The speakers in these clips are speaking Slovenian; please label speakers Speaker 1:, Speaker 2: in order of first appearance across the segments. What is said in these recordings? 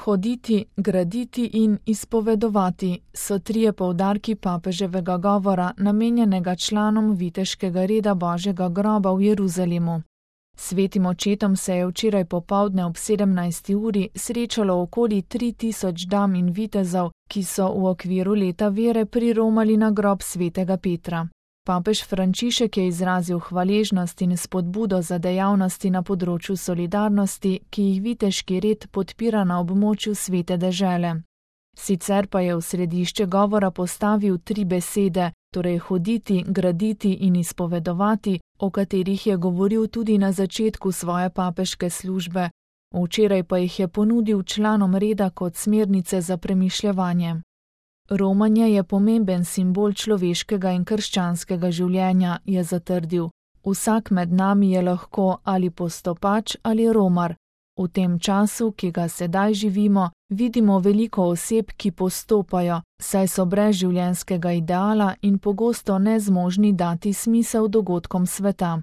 Speaker 1: Hoditi, graditi in izpovedovati so trije poudarki papeževega govora, namenjenega članom viteškega reda Božjega groba v Jeruzalemu. Svetim očetom se je včeraj popoldne ob 17. uri srečalo okoli 3000 dam in vitezov, ki so v okviru leta vere priromali na grob svetega Petra. Papež Frančišek je izrazil hvaležnost in spodbudo za dejavnosti na področju solidarnosti, ki jih viteški red podpira na območju svete dežele. Sicer pa je v središče govora postavil 3 besede, torej hoditi, graditi in izpovedovati, o katerih je govoril tudi na začetku svoje papeške službe. Včeraj pa jih je ponudil članom reda kot smernice za premišljevanje. Romanje je pomemben simbol človeškega in krščanskega življenja, je zatrdil. Vsak med nami je lahko ali postopač ali romar. V tem času, ki ga sedaj živimo, vidimo veliko oseb, ki postopajo, saj so brez življenjskega ideala in pogosto nezmožni dati smisel dogodkom sveta.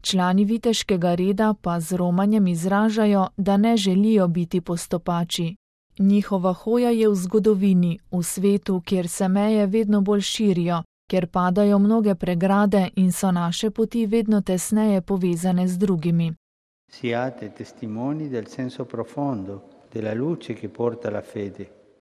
Speaker 1: Člani viteškega reda pa z romanjem izražajo, da ne želijo biti postopači. Njihova hoja je v zgodovini, v svetu, kjer se meje vedno bolj širijo, kjer padajo mnoge pregrade in so naše poti vedno tesneje povezane z drugimi.
Speaker 2: Siate testimoni del senso profondo della luce che porta la fede.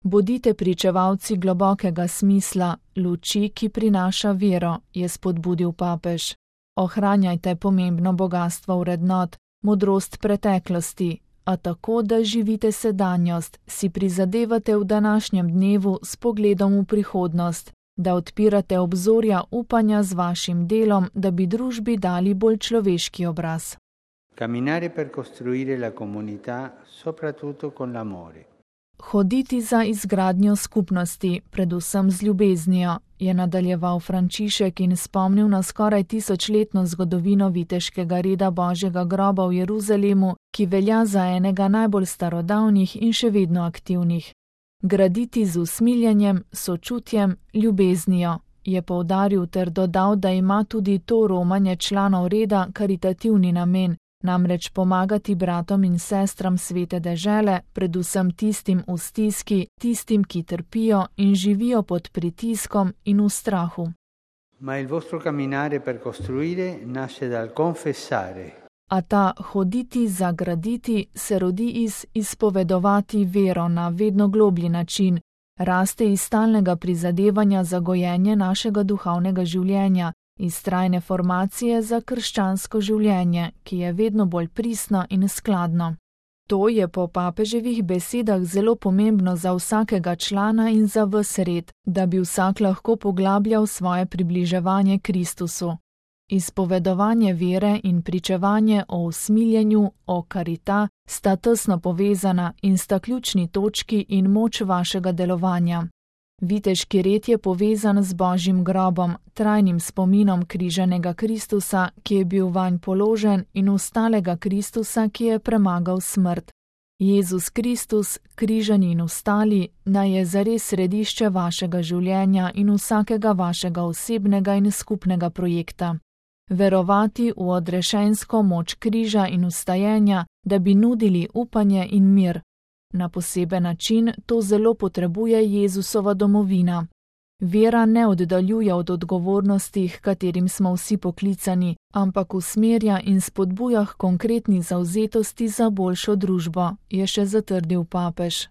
Speaker 1: Bodite pričevalci globokega smisla, luči, ki prinaša vero, je spodbudil papež. Ohranjajte pomembno bogastvo vrednot, modrost preteklosti, a tako, da živite sedanjost, si prizadevate v današnjem dnevu s pogledom v prihodnost, da odpirate obzorja upanja z vašim delom, da bi družbi dali bolj človeški obraz.
Speaker 2: Camminare per costruire la comunità, soprattutto con l'amore.
Speaker 1: Hoditi za izgradnjo skupnosti, predvsem z ljubeznijo, je nadaljeval Frančišek in spomnil na skoraj 1000-letno zgodovino viteškega reda Božjega groba v Jeruzalemu, ki velja za enega najbolj starodavnih in še vedno aktivnih. Graditi z usmiljenjem, sočutjem, ljubeznijo, je poudaril ter dodal, da ima tudi to romanje članov reda karitativni namen, namreč pomagati bratom in sestram svete dežele, predvsem tistim v stiski, tistim, ki trpijo in živijo pod pritiskom in v strahu.
Speaker 2: Ma il vostro camminare per costruire nasce dal confessare.
Speaker 1: A ta hoditi za graditi se rodi iz izpovedovati vero na vedno globlji način, raste iz stalnega prizadevanja za gojenje našega duhovnega življenja, iz trajne formacije za krščansko življenje, ki je vedno bolj pristno in skladno. To je po papeževih besedah zelo pomembno za vsakega člana in za ves red, da bi vsak lahko poglabljal svoje približevanje Kristusu. Izpovedovanje vere in pričevanje o usmiljenju, o karita, sta tesno povezana in sta ključni točki in moč vašega delovanja. Viteški red je povezan z Božjim grobom, trajnim spominom križanega Kristusa, ki je bil vanj položen, in vstalega Kristusa, ki je premagal smrt. Jezus Kristus, križani in vstali, naj je zares središče vašega življenja in vsakega vašega osebnega in skupnega projekta. Verovati v odrešensko moč križa in vstajenja, da bi nudili upanje in mir. Na poseben način to zelo potrebuje Jezusova domovina. Vera ne oddaljuje od odgovornosti, h katerim smo vsi poklicani, ampak usmerja in spodbuja k konkretni zavzetosti za boljšo družbo, je še zatrdil papež.